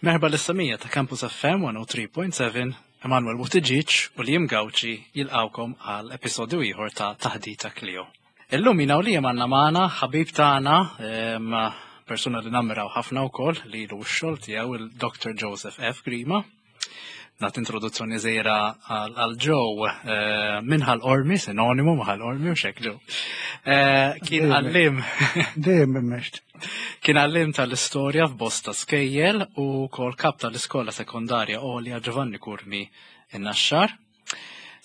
Merħba lis-semija ta' Campus FM 103.7, Emanuel Buttigieg u Liam Gauci jilqawkom għal episodju ieħor ta' Taħdita Clio. Illum jina u Liam għandna magħna ħabib tagħna persuna li nammiraw ħafna wkoll li ilu x-xogħol tiegħu il-Dr. Joseph F. Grima. Nat introduzzjoni żgħira għal Joe eh, minn Ħal Ormi, sinonimu ma' Ħal Ormi u xek Joe. Eh, kien għallim. Dejjem immext. Kien għallim tal-istorja f'bosta skejjel u kol kap tal-iskola sekondarja Olja Giovanni Curmi in-Naxxar.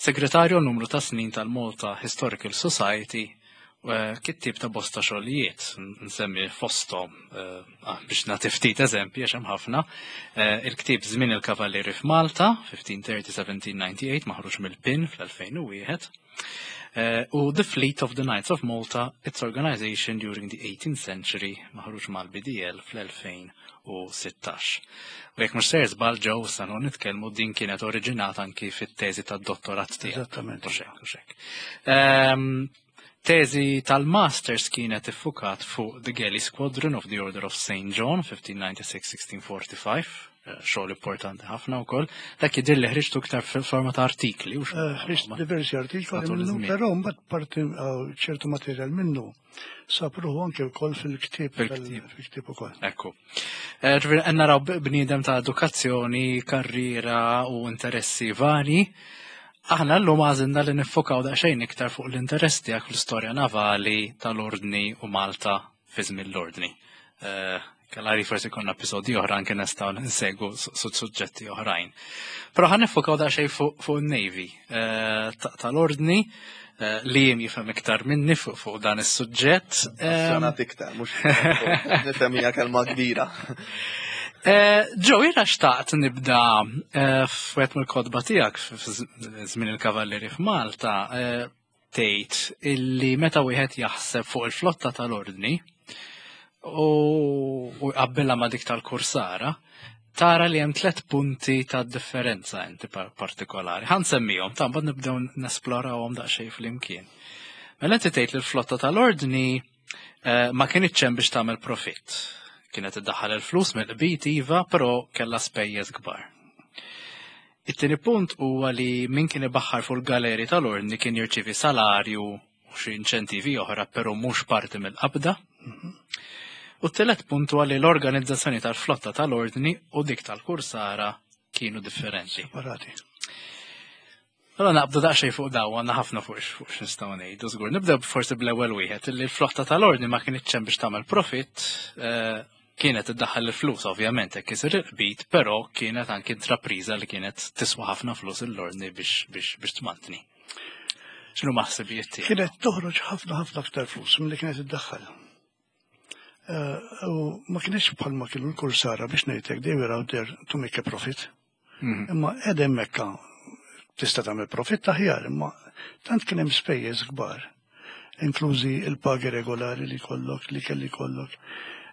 Segretarju numru ta' snin tal-Malta Historical Society eh, kittib ta' bosta xogħlijiet, nsemmi fosthom eh, ah, biex nagħti ftit eżempji għax hemm ħafna, eh, il-ktieb Żmien il-Kavallieri f'Malta, 1530-1798, maħruġ mill-PIN fl-2001, u The Fleet of the Knights of Malta, Its Organization During the 18th Century, maħruġ mal-BDL fl-2000. 2016. U jekk mhux ser żball ġew issa nitkellmu din kienet oriġinata anki fit-teżi tad-dottorat tiegħek. Eżattament. U xek. Ehm, teżi tal-Masters kienet iffukat fuq The Galley Squadron of the Order of St. John 1596-1645, eh, xogħol importanti ħafna wkoll. Dak jidher li ħriġtu iktar fil-forma ta' artikli. Eh, ħriġt diversi artikli minnu, però mbagħad parti eh, ċertu materjal minnu Sab ruħu anke wkoll fil-ktieb fil-ktieb ukoll. Ekku. Eh, ġifieri qed naraw bniedem ta' edukazzjoni, karriera u interessi vari. Aħna llum għażilna li niffokaw daqsxejn iktar fuq l-interess tiegħek fl-istorja navali tal-Ordni u Malta fi żmien l-Ordni. Eh, Kellari forsi konna episodji oħra anke nistgħu nsegwu suġġetti oħrajn. Però ħan nifokaw daqsxejn fuq in-Navy eh, tal-Ordni eh, li jiem jifhem iktar minni fuq dan is-suġġett. Passjonat iktar, mhux nifhem hija kelma kbira. Eh, Ġo, jiena xtaqt nibda f'wieħed mill-kotba tiegħek f'żmien il-Kavallieri f'Malta tgħid illi meta wieħed jaħseb fuq il-flotta tal-ordni u jqabbilha ma' dik tal-kursara, tara li hemm tlet punti ta' differenza inti partikolari. Ħa nsemmihom, ta' mbagħad nibdew nesplorawhom daqsxejn flimkien. Mela inti tgħid li l-flotta tal-ordni eh, ma kinitx hemm biex tagħmel profitt. Kienet iddaħħal il-flus mill-qbit iva, però kellha spejjeż kbar. It-tieni punt huwa li min kien ibaħħar fuq il-galeri tal-Ordni kien jirċievi salarju u xi inċentivi oħra però mhux parti mill-qabda. U t-tielet punt huwa li l-organizzazzjoni tal-flotta tal-Ordni u dik tal-Kursara kienu differenti. Separati. Allora naqbdu daqsxejn fuq daw għandna ħafna fuq fuq x'nistgħu ngħidu żgur. Nibdew forsi bl-ewwel wieħed li l-flotta tal-Ordni ma kinitx hemm biex tagħmel profitt, eh, kienet iddaħħal il-flus ovvjament hekk isir il-qbit, però kienet anki intrapriża li kienet tiswa ħafna flus l-ordni biex biex biex tmantni. X'inhu maħsibijiet tiegħek? Kienet toħroġ ħafna ħafna aktar flus milli kienet iddaħħal. Eh, u ma kienx bħalma kienu l-kursara biex ngħidlek they were out there to make a profit. Mhm. Imma qed hemmhekk tista' tagħmel profitt aħjar, imma tant kien hemm spejjeż kbar, inklużi il-pagi regolari li kollok, li kelli kollok,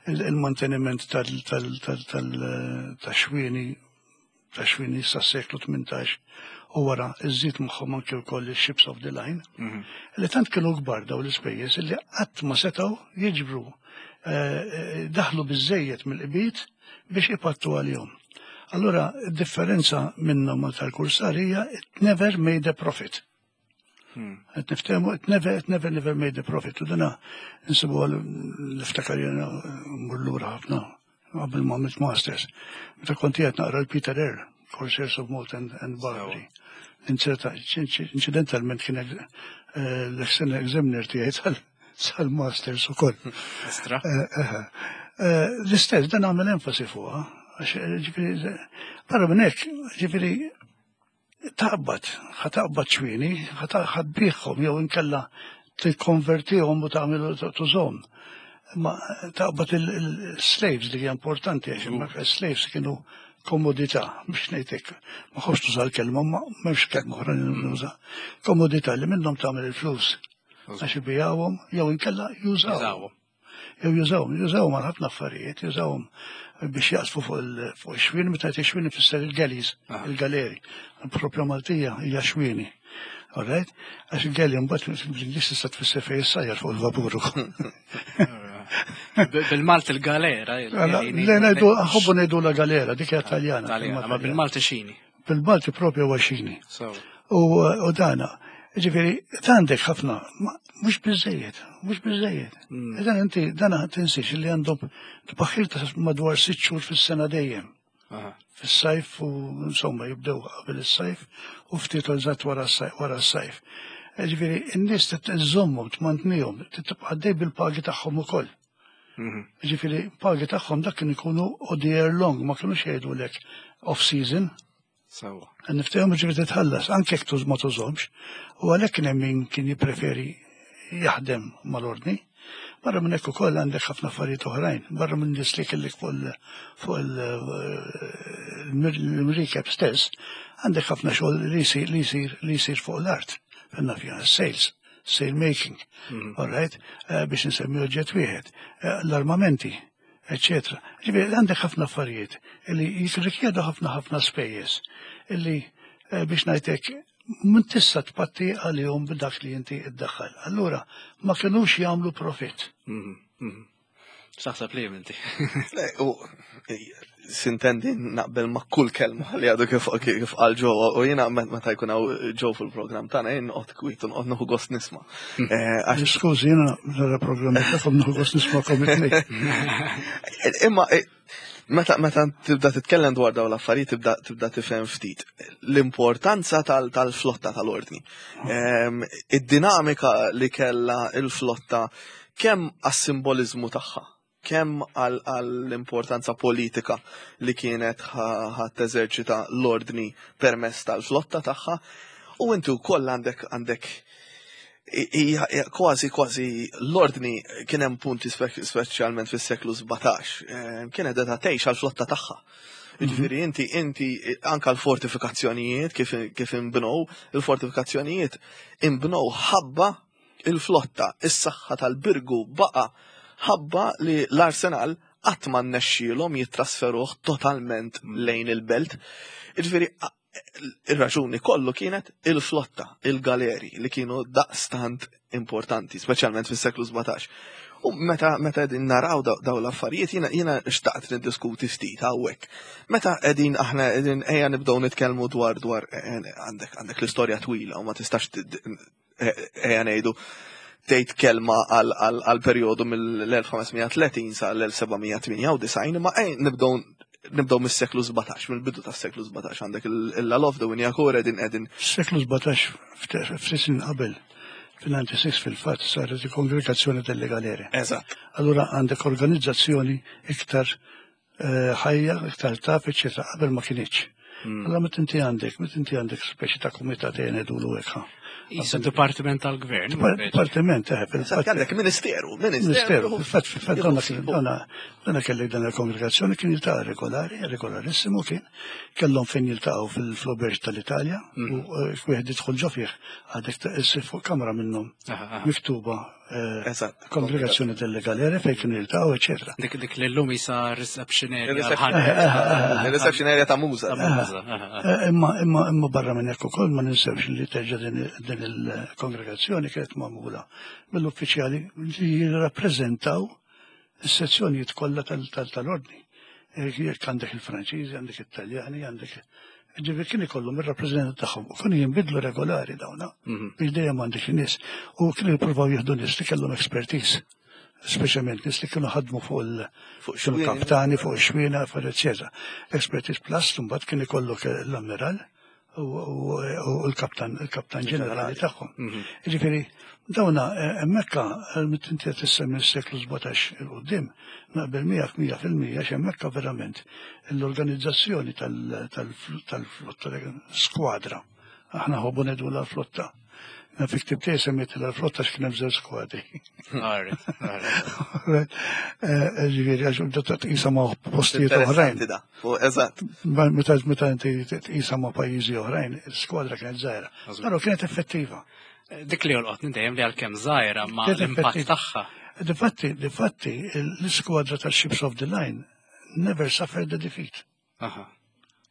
il-manteniment tal-xwieni, tax-xwieni sa' seklu 18 u wara iżżid magħhom anke wkoll il-ships of the line, mhm. li tant kienu kbar daw l-ispejjeż li qatt ma setgħu jiġbru eh, eh, daħlu biżejjed mill-qbit biex ipattu għalihom. Allura, differenza minnhom ma tal-kursar hija it never made a profit. Qed niftehmu, it never, it never, never made a profit. U dana nsibu għal niftakar jena mmur lura ħafna qabel ma għamilt masters. Meta kont qiegħed naqra l-Peter Earle, Corsairs of Malta and, and Barbary. Inċerta, incidentalment kien eh, l-external examiner tiegħi tal-masters ukoll. Estra. Eh, eh, L-istess, dan għamel enfasi fuqha. Għax, ġifieri, barra minn hekk, ġifieri, taqbad, ħa taqbad xwieni, ħa tbigħhom jew inkella tikkonvertihom u tagħmel tużhom. Ma taqbad il-slaves li hija importanti għax hemmhekk slaves kienu komodità biex ngħidlek. Ma ħobbx tuża l-kelma, ma m'hemmx kelma oħra li nuża. Komodità li minnhom tagħmel il-flus. Għax ibigħuhom jew inkella jużawhom. Jew jużawhom, jużawhom għal ħafna affarijiet, jużawhom biex jaqsfu fuq ix-xwien, meta jgħid ix-xwien ifisser il-galleys, il-galeri. Propja Maltija hija xwieni. Alright? Għax il-galley mbagħad bl-Ingliż tista' tfisser fejn issajjar fuq il-vapur ukoll. Bil-Malti il-galera. Le ngħidu ħobbu ngħidu la galera, dik hija Taljana. Ma bil-Malti xini. Bil-Malti propju huwa xini. U dana, ġifieri għandek ħafna, mhux biżejjed, mhux biżejjed. Mm. Dan inti dana tinsiex li għandhom tbaħħir ta' madwar sitt xhur fis-sena dejjem. Fis-sajf u insomma jibdew qabel is-sajf u ftit eżatt wara s-sajf. Ġifieri n-nies titżommhom, tmantnihom, tibqa' dej bil-pagi tagħhom ukoll. Mhm. Ġifieri pagi tagħhom dak kien ikunu all the year long, ma kinux jgħidulek off season. Sewa. Niftehom ġifieri titħallas, anke jekk tuż ma tużhomx. U għalhekk kien hemm min kien jippreferi jaħdem mal-ordni. Barra minn hekk ukoll għandek ħafna affarijiet oħrajn, barra minn nies li kellek fuq il-mrikeb stess, għandek ħafna xogħol li jsir li jsir li jsir fuq l-art, fil-nafja, sales, sail making, mm. all right, eh, biex nsemmi oġġett wieħed, eh, l-armamenti, eccetera. Ġifieri għandek ħafna affarijiet li jirrikjedu ħafna ħafna spejjeż illi eh, biex ngħidlek minn tista' tpatti għalihom b'dak li inti iddaħħal. Allura ma kinux jagħmlu profitt. Mhm, mhm. X'taħseb li inti? U sintendi naqbel ma' kull kelma li għadu kif kif qal ġo u jiena meta jkun hawn ġo fil-programm tagħna jien noqgħod kwiet u noqgħod nieħu gost nisma'. Hmm. Eh, Skużi, jiena nara programm tagħkom nieħu gost nisma' it Imma eh, meta meta tibda titkellem dwar dawn l-affarijiet tibda tibda tifhem ftit l-importanza tal-flotta tal-ordni. Ehm, id-dinamika li kellha il-flotta kemm għas-simboliżmu tagħha, kemm għall-importanza politika li kienet ħa teżerċita l-ordni permezz tal-flotta tagħha, u inti wkoll għandek għandek kważi kważi l-ordni kien hemm punti speċjalment fis-seklu 17, eh, kienet qed tgħix għall-flotta tagħha. Mhm. Jiġifieri inti inti anka l-fortifikazzjonijiet kif kif inbnew, il-fortifikazzjonijiet inbnew ħabba il-flotta, is-saħħa tal-Birgu baqa' ħabba li l-Arsenal qatt ma nnexxielhom jittrasferuh totalment mm. lejn il-belt. Jiġifieri ir-raġuni kollu kienet il-flotta, il-galeri li kienu daqstant importanti, speċjalment fis-seklu 17. U meta meta qegħdin naraw daw l-affarijiet jiena jiena xtaqt niddiskuti ftit hawnhekk. Meta qegħdin aħna qegħdin ejja nibdew nitkellmu dwar dwar eh, eh, għandek għandek l-istorja twila u ma tistax ejja ngħidu tgħid kelma għal perjodu mill-1530 sa l-1798 imma ej nibdew nibdew mis-seklu 17, mill-bidu tas-seklu 17 għandek il-Lalof the Winjakor qegħdin qegħdin. Seklu 17 ftit snin qabel fil-96 fil-fatt saret il-Kongregazzjoni delle Galere. Eżatt. Allura għandek organizzazzjoni iktar eh, ħajja, iktar taf, eċetera, qabel ma kienx. Hmm. Allora meta inti għandek, meta inti għandek speċi ta' kumitat ngħidulu hekk. Isa dipartiment tal-gvern. Dipartiment, eh, fil-fatt. Għandek ministeru, ministeru. Fil-fatt, fil-fatt, donna donna donna kellek dan il-kongregazzjoni kien jiltaqa' regolari, regolarissimu kien, kellhom fejn jiltaqgħu fil-Floberġ tal-Italja, hmm. u eh, wieħed jidħol ġo fih għadek issir fuq kamra minnhom miktuba Eh, Eżatt. Kongregazzjoni delle Galere fejn kienu jiltaqgħu, eċetera. Dik dik li llum isa reception area. Reception area ta' Muża. Eh, imma imma imma barra minn hekk ukoll ma ninsewx li terġa' din il-kongregazzjoni kienet magħmula mill-uffiċjali li jirrappreżentaw is-sezzjonijiet kollha tal-ordni. Eh, jekk għandek il-Franċiżi, għandek it-Taljani, għandek Ġifieri kien ikollhom ir-rappreżentant tagħhom u kienu jinbidlu regolari dawna mhm. biex dejjem għandek nies u kienu jippruvaw jieħdu nies li kellhom expertise speċjalment nies li kienu ħadmu fuq il fuq kaptani, fuq ix-xwiena, fuq eċetera. Expertise plus mbagħad kien ikollok l-ammiral u l-kaptan, il-kaptan ġenerali tagħhom. Mhm. Ġifieri, dawna eh, hemmhekk eh, inti qed tissemmi s-seklu 17 il qudiem naqbel miegħek 100% għax hemmhekk verament l-organizzazzjoni tal-flotta, skwadra. Aħna ħobbu ngħidu l-flotta. Na fi ktib tiegħi semmiet l-flotta x'kien hemm żewġ skwadri. Eh, ġifieri għax ta' tqisha ma' postijiet oħrajn. Eżatt. Meta meta inti tqisha ma' pajjiżi oħrajn, il-skwadra kienet żgħira. Però kienet effettiva. Dik li jolqotni dejjem li għalkemm żgħira ma l-impatt tagħha. Difatti, difatti, l-iskwadra tal-Ships of the Line never suffered a defeat. Aha.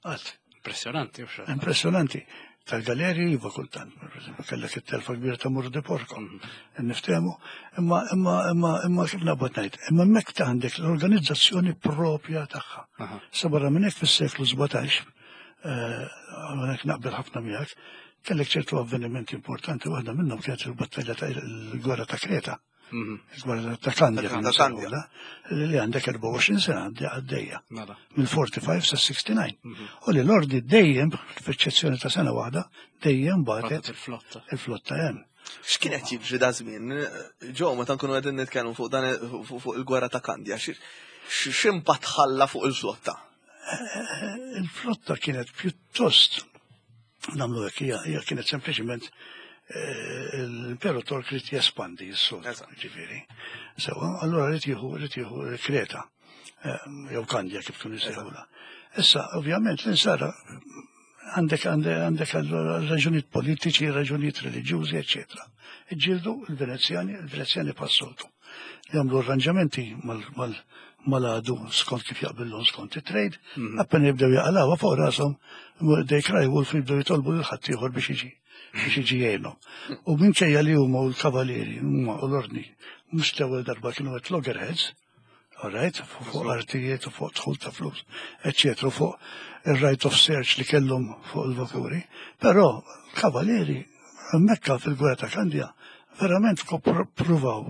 Qatt. Impressjonanti, Impressjonanti. Tal-galeri iva kultant, per eżempju, kellek it-telfa kbira ta' Mur di Porco, niftehmu, imma imma imma imma kif naqbad ngħid, imma hemmhekk ta' għandek l-organizzazzjoni propja tagħha. Sa barra minn hekk fis-seklu 17, eh, hawnhekk naqbel ħafna miegħek, kellek ċertu avvenimenti importanti, waħda minnhom kienet il-battalja ta' il-gwerra ta' Kreta. Il-gwerra ta' Kandja. Ta' Kandja. Li għandek 24 sena għaddejja. Mela. Mill-45 sa 69. U li l-ordi dejjem, f'eċċezzjoni ta' sena waħda, dejjem batet il-flotta. Il-flotta hemm. X'kien qed jiġri da żmien? Ġo, meta nkunu qegħdin nitkellmu fuq dan fuq il-gwerra ta' Kandja, x'impatt ħalla fuq il-flotta? Il-flotta kienet pjuttost nagħmlu hekk hija kienet sempliċement eh, l-Imperu Tork rid jespandi s-sud, ġifieri. Sewa, allura rid jieħu rid jieħu Kreta eh, jew Kandja kif kienu jsejħula. Issa, ovvjament, l-insara għandek għandek raġunijiet politiċi, raġunijiet reliġjużi, eċetera. Iġġieldu l-Venezjani, il-Venezjani passoltu. Jagħmlu arranġamenti mal-għadu skont kif jaqbillhom skont it-trade, mhm. appena jibdew jaqalawha fuq rashom, they cry wolf jibdew jitolbu lil ħaddieħor biex jiġi biex jiġi jgħinhom. U minkejja li huma u l-kavalieri huma u l-ordni mhux l-ewwel darba kienu qed loggerheads, all right, fuq artijiet u fuq dħul ta' flus, eccetera, fuq il-right of search li kellhom fuq il-vapuri. Però kavalieri Mekka fil-gwerra ta' Kandja verament pruvaw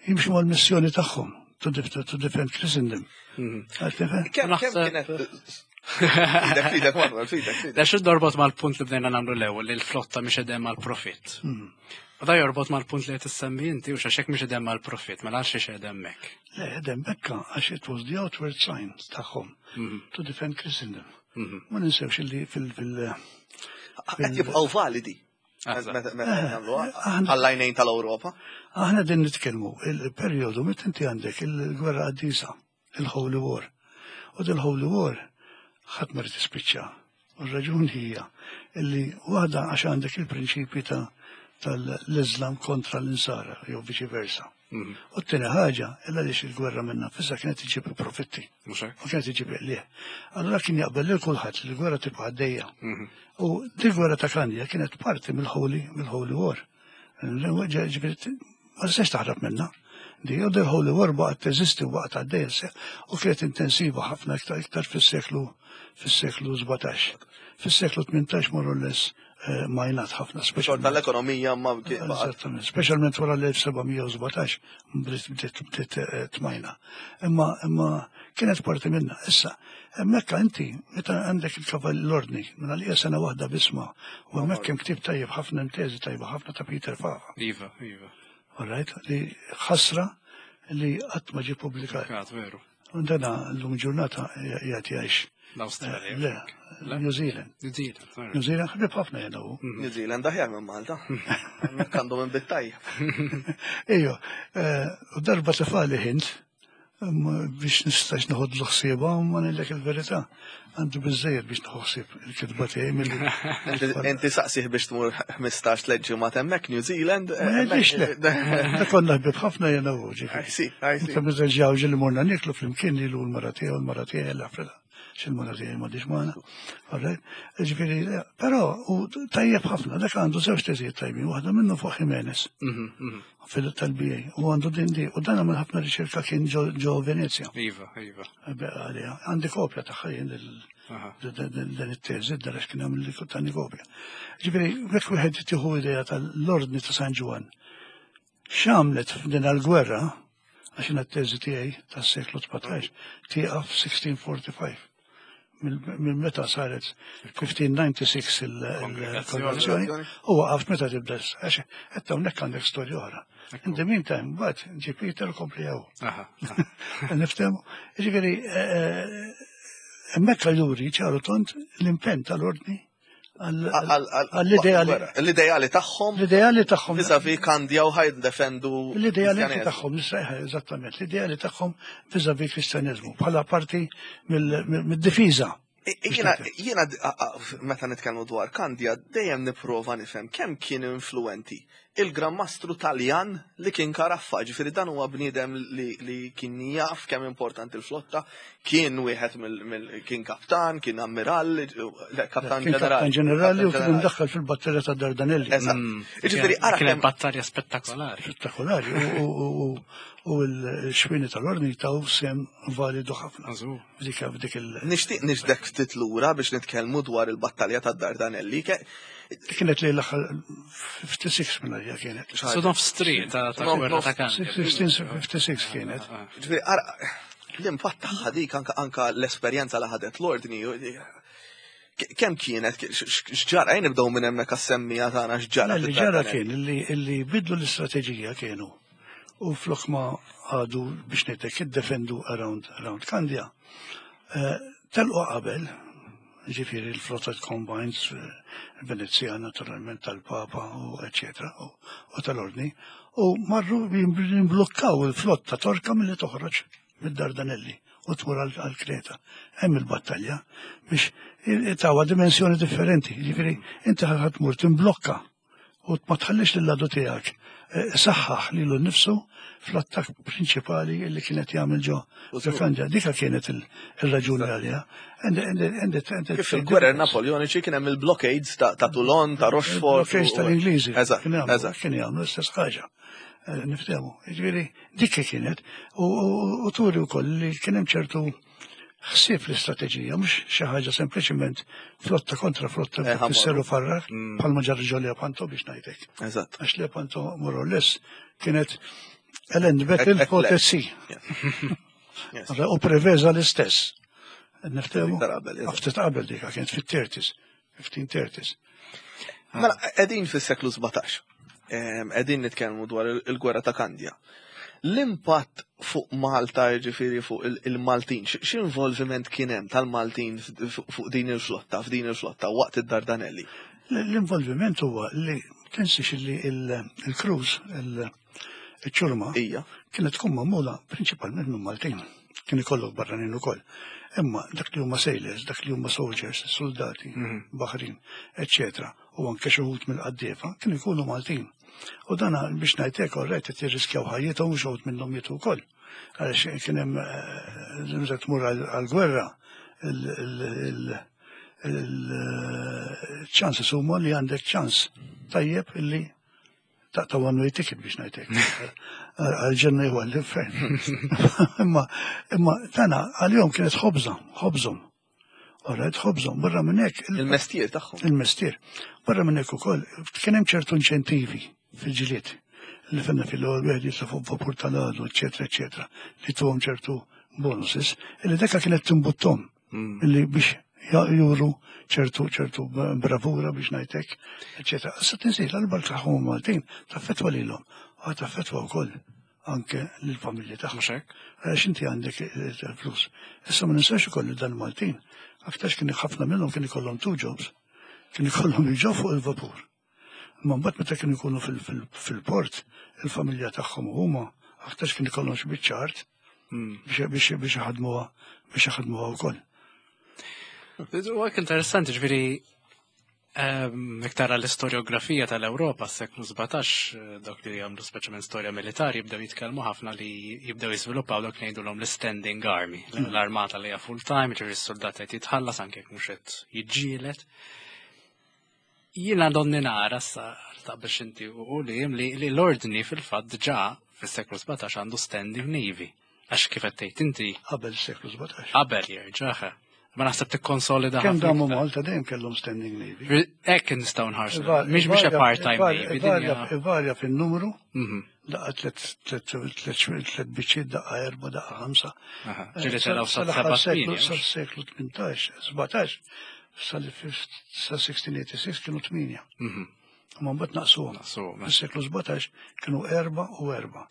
jimxu mal-missjoni tagħhom to, to defend Christendom. Mhm. Kemm kienet Fidek, fidek, Manuel, fidek, fidek. Da xi dorbot mal-punt li bdejna nagħmlu l-ewwel li l-flotta mhix edem għall-profitt. Mhm. U da jorbot mal-punt li qed issemmi inti u x'għax mhix edem għall-profitt, mela għal xiex edem hekk. Le, edem hekk għax it was the outward sign tagħhom mhm. to defend Christendom. Ma ninsewx li fil- fil- Qed jibqgħu validi. Meta nagħmluha għall-għajnejn tal-Ewropa. Aħna din nitkellmu il-perjodu meta inti għandek il-gwerra qaddisa, il-Holy War. U dil-Holy War ħadd ma rid tispiċċa. U r-raġuni hija illi waħda għax għandek il-prinċipji ta' tal-Islam kontra l-insara jew viċi versa. Mhm. U t-tieni ħaġa, illa għaliex il-gwerra minna fissa kienet iġib profitti. U kienet iġib qlieh. Allura kien jaqbel lil kulħadd li l-gwerra tibqa' għaddejja. Mhm. U di gwerra ta' Kanja kienet parti mill-Holy mill-Holy War. Ġifieri ma tistax taħrab minna. Di u dil-Holy War baqgħet teżisti u baqgħet għaddejja u kienet intensiva ħafna iktar iktar fis-seklu fis-seklu 17. Fis-seklu 18 more or less Eh, majnat ħafna. Xorta tal-ekonomija ma Eżattament, speċjalment wara l-1717 bdiet bdiet eh, tmajna. Imma imma kienet parti minna. Issa, hemmhekk inti meta għandek il-kavall l-ordni, minn għalija sena waħda bisma, u hemmhekk hemm ktieb tajjeb ħafna hemm teżi tajba ħafna ta' Peter Fava. Iva, iva. All right, li ħasra li qatt ma ġie publikat. Veru. U dana l-lum ġurnata jgħat jgħix. L-Australia. Le, New Zealand. New Zealand. New Zealand ħbib ħafna jena u. Mhm. New Zealand aħjar minn Malta. Għandhom minn bittaj. Ejjo, eh, u darba tefali ħint biex nistax noħod l-ħsieba u ma ngħidlek il-verità. Għandu biżejjed biex nieħu ħsieb il-kitba tiegħi milli. Inti saqsih biex tmur 15 tliet ġimgħat hemmhekk New Zealand. Ma jgħidlix le. Da konna ħbieb ħafna jiena u ġifieri. Inta biżejjed ġieli morna nieklu flimkien lilu l-mara tiegħu l-mara tiegħi l-Afrika. Xil-mara tiegħi m'għadix magħna. Ġifieri, però u tajjeb ħafna, dak għandu żewġ teżijiet tajbin, waħda minnu fuq Jimenez. Mhm, mhm. Fil-tal-BA. U għandu din di, u dan għamel ħafna riċerka kien ġo Venezia. Iva, iva. Għandi kopja tagħha jien din it-teżi, dan għax kien għamil li tani kopja. Ġifieri, jekk wieħed tieħu idea tal-ordni ta' San Ġwann, x'għamlet f'din għall-gwerra, għax jiena t-teżi tiegħi tas-seklu 17 tieqaf 1645 minn meta saret 1596 il-kongregazzjoni u waqaft meta tibda għax qed hawnhekk għandek storja oħra. In the meantime, mbagħad ġi Peter kompli hawn. Niftehmu. Ġifieri eh, eh, hemmhekk juri ċaru tont l-impenn tal-ordni għall-ideali. L-ideali tagħhom. L-ideali tagħhom. Vizavi Kandja u ħajd defendu. L-ideali tagħhom, eżattament, l-ideali tagħhom vizavi kristjaneżmu bħala parti mid-difiża. Jiena meta nitkellmu dwar Kandja dejjem nipprova nifhem kemm kien influenti. Il-Gran Mastru Taljan li kien Karaffa, ġifieri dan huwa bniedem li, li kien jaf kemm importanti l-flotta, kien wieħed mill kien kaptan, kien ammirall, le, kaptan Kien ġenerali. kaptan ġenerali u kien imdaħħal fil-battalja ta' Dardanelli. Eżatt. Ġifieri ara Kienet kemm battalja spettakolari. Spettakolari u- u- u- u l-xwini tal-ordni taw sem validu ħafna. Għażu. F'dik f'dik il- nixtieq nixdek ftit lura biex nitkellmu dwar il-battalja tad-Dardanelli. Ke- Kienet li l-aħħar 56 minn għalija kienet. Su nofs triq ta' ta' Nof- gwerra ta' Kandja. 1656 kienet. Ġifieri ara l-impatt tagħha dik anka anka l-esperjenza li ħadet l-ordni. Kemm kienet, x'ġara, ejn nibdew minn hemmhekk għas-semmija tagħna x'ġara. Li ġara kien li li bidlu l-istrateġija kienu u flok ma għadu biex ngħidlek iddefendu around around Kandja. Eh, Telqu qabel, ġifieri l-flotta combines, eh, Venezia naturalment tal-Papa u eccetera u u tal-Ordni, u marru jimblukkaw il-flotta torka milli toħroġ mid-Dardanelli u tmur għal għal Kreta. Hemm il-battalja biex tawa dimensjoni differenti. Ġifieri inti ħa tmur timblokka u ma tħallix lill-għadu tiegħek eh, saħħaħ lilu nnifsu fl-attakk prinċipali li kienet jagħmel ġo ġo Kandja. Dika kienet il- il-raġuni għaliha. And- and- and- and- Kif fil-gwerer Napoleoniċi kien hemm il-blockades ta' ta' Toulon, ta' Rochefort. Blockades u- tal-Ingliżi. Eżatt, Kien jagħmlu- eżatt. Kien jagħmlu l-istess ħaġa. Eh, Niftehmu. Jiġifieri dik kienet u- u u turi wkoll li kien hemm ċertu ħsieb l-istrateġija, mhux xi ħaġa sempliċiment flotta kontra flotta Eh, ħammar. tisseru farrak bħalma ġara ġo Lepanto biex ngħidlek. Eżatt. Għax Lepanto more or less kienet a land battle Ek- for the ek- sea. Yes. U Preveza l-istess. Niftehmu? Iktar qabel, eżatt. Ftit qabel dika kienet fit-30s, 1530s. Mela, qegħdin fis-seklu 17. Em, Qegħdin nitkellmu dwar il- il-gwerra ta' Kandja. L-impatt fuq Malta, ġifieri fuq il- il-Maltin, x- x'involviment kien hemm tal-Maltin f- fuq din il-flotta, f'din il-flotta waqt id-Dardanelli? L-involviment huwa li tinsiex li il- il-cruise, il- il-ċurma, Ija. kienet tkun magħmula prinċipalment minn Maltin. Kien ikollok barranin ukoll. Imma dak li huma sailors, dak li huma soldiers, soldati, baħrin, eccetera, u anke xi wħud mill-qaddiefa kienu jkunu Maltin. U dana biex ngħidlek orrejt qed jirriskjaw ħajjithom u xi wħud minnhom mietu wkoll. Għaliex kien hemm eh, meta tmur għall-gwerra il-ċanses huma li għandek ċans tajjeb illi taqta' one way ticket biex ngħidlek. Għal-ġenna jew għall-infern. Imma imma tana għal-jom kienet ħobża, ħobżhom. Alright, ħobżhom, barra minn hekk il- Il-mestier tagħhom. il-mestier. Barra minn hekk ukoll kien hemm ċertu inċentivi fil-ġilied li fenna fil-ewwel wieħed jitla' fuq vapur tal-għadu, eċetera, eċetera, li tuhom ċertu bonuses, illi dekka kienet timbuttom illi biex ja- juru ċertu ċertu bravura biex ngħidlek, eċetera. Issa tinsir l-bark tagħhom Maltin taffetwa lilhom, u taffetwa wkoll anke lill-familji tagħhom. Mhux hekk? Għax inti għandek il-flus. Issa ma ninsax ukoll li dan Maltin, aktarx kien ħafna minnhom kien ikollhom two jobs, kien ikollhom jiġu fuq il-vapur. Imma mbagħad meta kienu jkunu fil- fil- fil-port, il-familja tagħhom u huma aktarx kien ikollhom xi biċċa art biex biex biex jaħdmuha biex jaħdmuha wkoll. U għek interessanti, ġviri, iktar l-istoriografija tal-Europa, s-seklu 17, eh, dawk li għamlu speċjalment storja militari, jibdew jitkellmu ħafna li jibdew jiżviluppaw dawk li jgħidulhom l-standing army, l-armata li hija full time, ġifieri s-soldat qed jitħallas anke jekk mhux qed jiġġieled. Jiena donni nara sa ta' biex inti u li li li l-ordni fil-fatt diġà fis-seklu 17 għandu standing navy. Għax kif qed tgħid inti Qabel is-seklu 17. qabel jerġa' Ma naħseb tikkonsolida Kemm ħafna damu iktar. Malta dejjem kellhom standing navy. Hekk nistgħu nħarsu. Mhix mhix a part-time navy. din hija- Ivarja fin-numru, Mhm. daqqa tlet tlet tlet tlet biċċiet, daqqa erba, daqqa ħamsa. Aha, Ġieli telgħu sa Sal-aħħar seba' seklu, tmienja, mhux? sal-seklu 18, 17, sal-1686 kienu 8. Mhm. Ma mbagħad naqsuhom. Naqsuhom, eh. Fis-seklu 17 kienu erba u erba.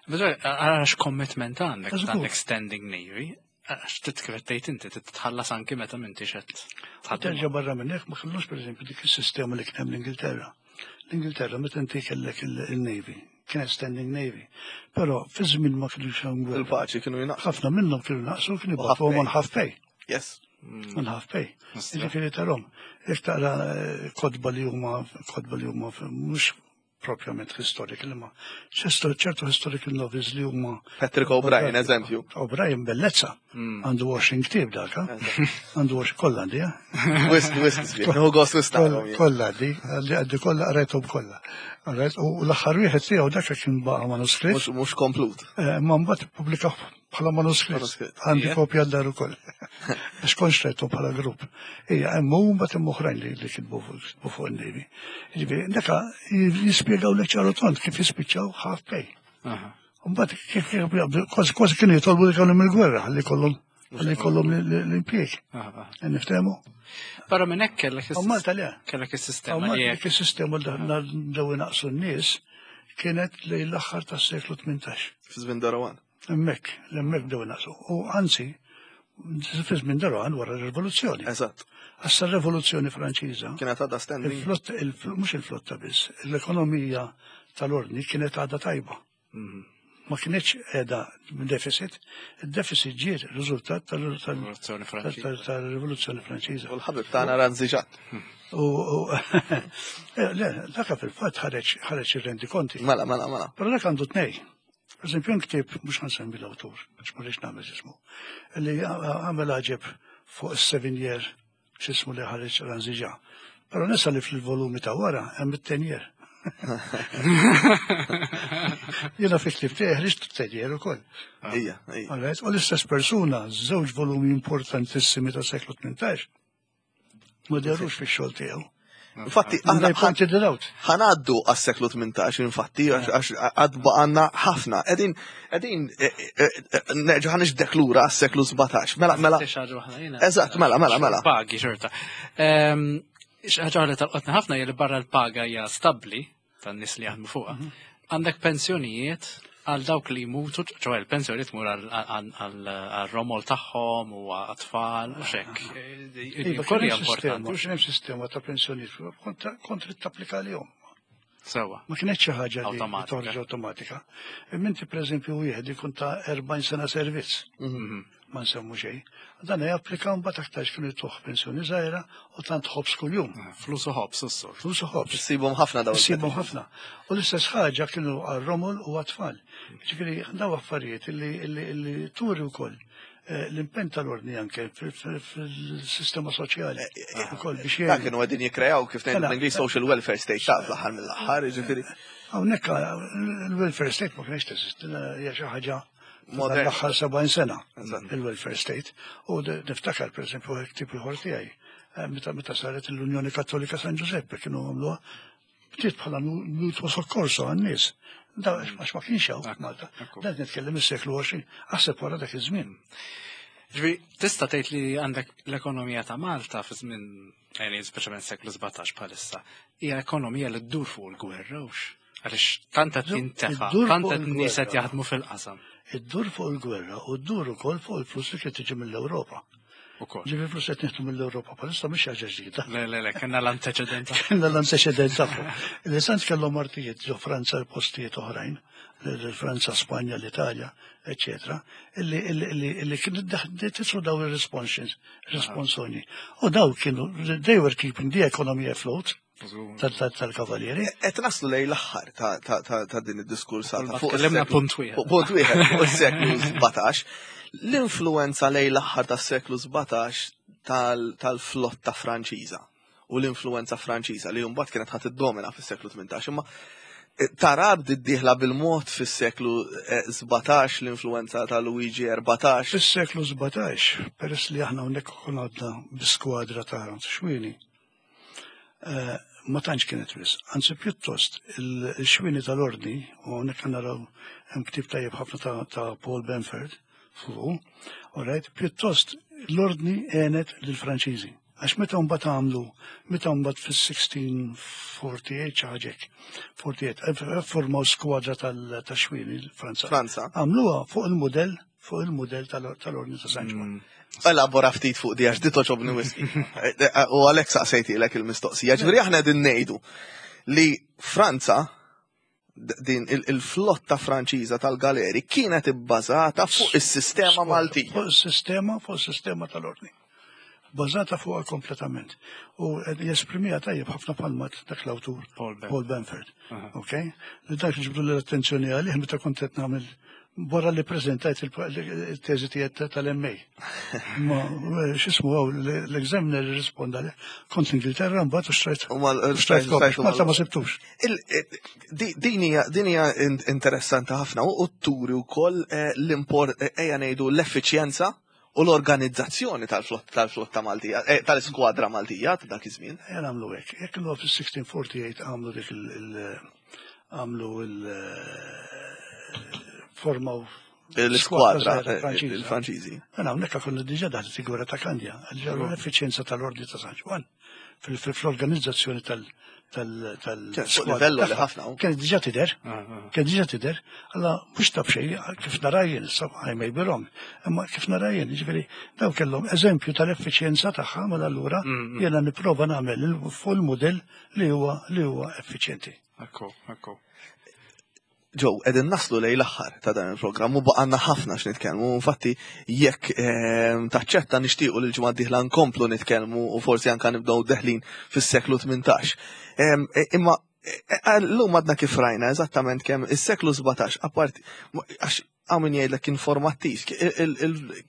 Biżgħar, Għax commitment għandek Żgur. għandek standing navy. Għax titkvettejt inti titħallas anki meta m'intix qed tħaddem. Terġa' barra minn hekk ma kellux pereżempju dik is-sistema li kien hemm l-Ingilterra. L-Ingilterra meta inti kellek il-Navy, kienet standing Navy. Però fi żmien ma kienux hemm gwerra. Il-paċi kienu jinaqsu. Ħafna minnhom kienu naqsu kienu U half jibgħatuhom pay. on half pay. Yes. On half pay. Mistra. Ġifieri tarhom. Jekk taqra eh, kotba li huma kotba li huma mhux propjament historical, imma ċertu historical novels li huma. Patrick O'Brien, eżempju. O'Brien bellezza. Għandu 20 ktieb dak, għandu 20 kollha għandi, eh? Wisq, wisq, nieħu gost wisq. Kollha għandi, għandi kollha qrajthom kollha. U l-aħħar wieħed tiegħu dak kien baqa' manuskritt. Mhux komplut. Eh, ma mbagħad ippubblikaw bħala manuskritt. Għandi kopja d-dar ukoll. Għax kontx rajtu bħala grupp. Ija, hemm u mbagħad hemm oħrajn li kitbu fuq in-Navy. Ġifieri, daka jispjegaw li ċaru tont kif jispiċċaw half pay. Mbagħad kif kważi kważi kienu jitolbu li kellhom il-gwerra ħalli kollhom ħalli kollhom l-impjieg. Niftehmu? Barra minn hekk kellek Malta le. Kellek is-sistema li hekk is-sistema li daw inaqsu n-nies kienet lejn l-aħħar tas-seklu 18. Fi żmien Darawan. Hemmhekk, hemmhekk bdew inaqsu. U anzi, fi żmien Darawan wara r-rivoluzzjoni. Eżatt. Għassa r-rivoluzzjoni Franċiża. Kienet għadha standing. Il-flotta, mhux il-flotta biss, l-ekonomija tal-ordni kienet għadha tajba. Ma kienx qiegħda deficit, il-deficit ġiet riżultat tal-Rivoluzzjoni Franċiża. Tal-Rivoluzzjoni Franċiża. U l-ħabib tagħna Ranzi Ġatt. U le, dak fil-fatt ħareġ ħareġ ir-rendi konti. Mela, mela, mela. Però dak għandu tnej. Per eżempju, ktieb mhux ħansemmi l-awtur, għax ma rridx nagħmel ismu, li għamel għaġeb fuq is-seven year x'ismu li ħareġ Ranziġa. Però nesa li fil-volumi ta' wara hemm it-ten year. Jiena fi ktieb tiegħi ħriġt it-ten year ukoll. Ija, ija. U l-istess persuna, żewġ volumi importantissimi ta' seklu 18, ma derux fix-xogħol tiegħu. Infatti, aħna pointed it out. Ħanaddu għas-seklu 18, infatti, għax għad baqanna ħafna. Edin, edin, e, e, e, nerġa' ħanixdek lura għas-seklu 17. Mela, mela. Eżatt, mela, mela, mela. Pagi, xorta. Ehm, ħaġa li tal-qotna ħafna hija li barra l-paga hija stabbli tan-nies li jaħdmu fuqha. Mhm. Għandek pensjonijiet għal dawk li jmutu, ċoħe l-pensjoni tmur għal-romol tagħhom u għat-tfal u xek. Iva, kien importanti. Kien hemm sistema ta' pensjonijiet kont trid tapplika għalihom. Sewa. Ma kienet xi ħaġa li toħroġ awtomatika. Imma inti pereżempju wieħed ikun ta' 40 sena servizz. Mhm. Ma nsemmu xejn. Dan japplika mbagħad aktarx kienu jtuh pensjoni żgħira u tant ħobż kuljum. Ah, flus u ħobż is-sur. Flus u ħobż. Issibhom ħafna dawn. Issibhom ħafna. U l-istess ħaġa kienu għar-romol u għat-tfal. Ġifieri daw affarijiet illi turi wkoll eh, l-impenn tal-ordni anke fil-sistema soċjali. Eh, eh, ukoll biex Dak kienu qegħdin jikkreaw kif ngħidu mela. bl-Ingliż social welfare state ta' fl-aħħar mill-aħħar, ġifieri. Hawnhekk il-welfare state ma kienx teżisti, hija xi ħaġa Modern. L-aħħar 70 sena il-welfare state. U niftakar, per esempio, ktieb ieħor tiegħi, eh, meta meta saret l-Unjoni Kattolika San Giuseppe kienu għamluha bdiet bħala mutuo soccorso għan-nies. Da għax ma kienx hawn Malta. Dan nitkellem is-seklu 20, aħseb wara dak iż-żmien. Ġifieri, tista' tgħid li għandek l-ekonomija ta' Malta fi żmien yani speċjalment seklu 17 bħalissa, hija ekonomija li ddur fuq il-gwerra hux. Għaliex tant qed jintefa', tant qed nies qed jaħdmu fil-qasam. Iddur fuq il-gwerra u ddur ukoll fuq il-flus li kien tiġi mill-Ewropa. Ukoll. Ġifieri flus qed nieħdu mill-Ewropa bħalissa mhix ħaġa ġdida. Le, le, le, kellna l-anteċedent. Kellna l-anteċedent tagħhom. Li sant kellhom artijiet ġo Franza postijiet oħrajn, Franza, Spanja, l-Italja, eccetera, illi illi illi kienu titlu daw il-responsions, responsoni. U daw kienu, they were keeping the economy afloat tal-kavallieri. Qed naslu lejn l-aħħar ta' din id-diskursata fuq Tkellimna punt wieħed. Punt wieħed fuq is-seklu 17. L-influenza lejn l-aħħar tas-seklu 17 tal-flotta Franċiża u l-influenza Franċiża li mbagħad kienet ħadd iddomina fis-seklu 18 imma eh, tara bdiet dieħla bil-mod fis-seklu 17 l-influenza ta' Luigi 14. Fis-seklu 17, peress li aħna hawnhekk konna għadna bi skwadra ta' xwieni, eh, ma tantx kienet wisq. Anzi pjuttost il-xwieni tal-ordni, u hawnhekk naraw hemm ktieb tajjeb ħafna ta' Paul Benford fuqu, all right, pjuttost l-ordni għenet lill-Franċiżi. Għax meta mbagħad għamlu, meta mbagħad fis-1648 xi ħaġa hekk, 48, eh, formaw skwadra tal-xwieni Franza. Franza. Għamluha fuq il-mudell fuq il-mudell tal-Ordni ta' San Ġwann. Elabora ftit fuq di għax di toċobni wisq. U għalhekk saqsejtilek il-mistoqsija. Ġifieri aħna qegħdin ngħidu li Franza din il-flotta Franċiża tal-galeri kienet ibbażata fuq is-sistema Maltija. Fuq is-sistema, fuq is-sistema tal-ordni. Bażata fuqha kompletament. U jesprimiha tajjeb ħafna palmat dak l-awtur Paul Benford. Ok? Li dak ġibdu l-attenzjoni għalih meta kont qed nagħmel wara li preżentajt il-teżi tiegħek tal-MA. Ma eh, x'ismu għaw l-examiner risponda li kont l-Ingilterra mbagħad u xtrajt. Xtrajt Malta ma sibtux. Eh, din hija interessanti ħafna u turi wkoll eh, l-import ejja ngħidu l-effiċjenza u l-organizzazzjoni tal-flotta Maltija, eh, tal-iskwadra Maltija ta' dak iż-żmien. Ejja nagħmlu hekk. Jekk il fis-1648 għamlu dik il- għamlu il- formaw l-iskwadra eh, il-Franċiżi. Mela hawnhekk konna diġà daħlet il-gwerra ta' Kandja, għal l-effiċjenza tal-Ordni ta' San Ġwann fl-organizzazzjoni tal- tal-livello li ħafna. Kien diġà tidher, ah, ah. kien diġà tidher, alla mhux taf xejn kif nara jien, I may be wrong, imma kif nara jien, jiġifieri daw kellhom eżempju tal-effiċjenza tagħha mela allura mm, mm. jiena nipprova nagħmel fuq il-mudell li huwa li huwa effiċjenti. Ekku, ekku. Joe, edin naslu lej l-aħħar ta' dan il-programm u baqanna ħafna x'nitkellmu. Infatti, jekk ehm, taċċetta nixtiequ li l-ġimgħa d-dieħla nkomplu nitkellmu u forsi anka nibdew deħlin fis-seklu 18. Ehm, e, imma e, e, llum għadna kif rajna eżattament kemm is-seklu 17 apparti għax hawn min jgħidlek kien formattiv,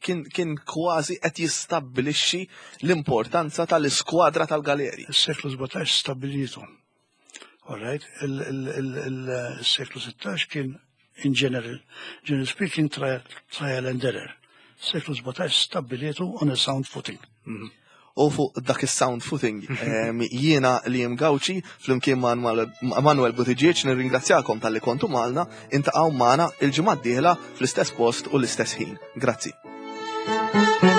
kien kważi qed jistabbilixxi l-importanza tal-iskwadra tal-galeri. Is-seklu 17 stabbilitu. All right, il-seklu 16 kien in general, general speaking, trial, trial and error. Seklu 17 stabbilietu on a sound footing. Mhm. U fuq dak is-sound footing jiena li jem Gawċi flimkien ma' Manuel Buttigieg nirringrazzjakom talli kontu magħna, intaqgħu magħna il-ġimgħa d-dieħla fl-istess post u l-istess ħin. Grazzi.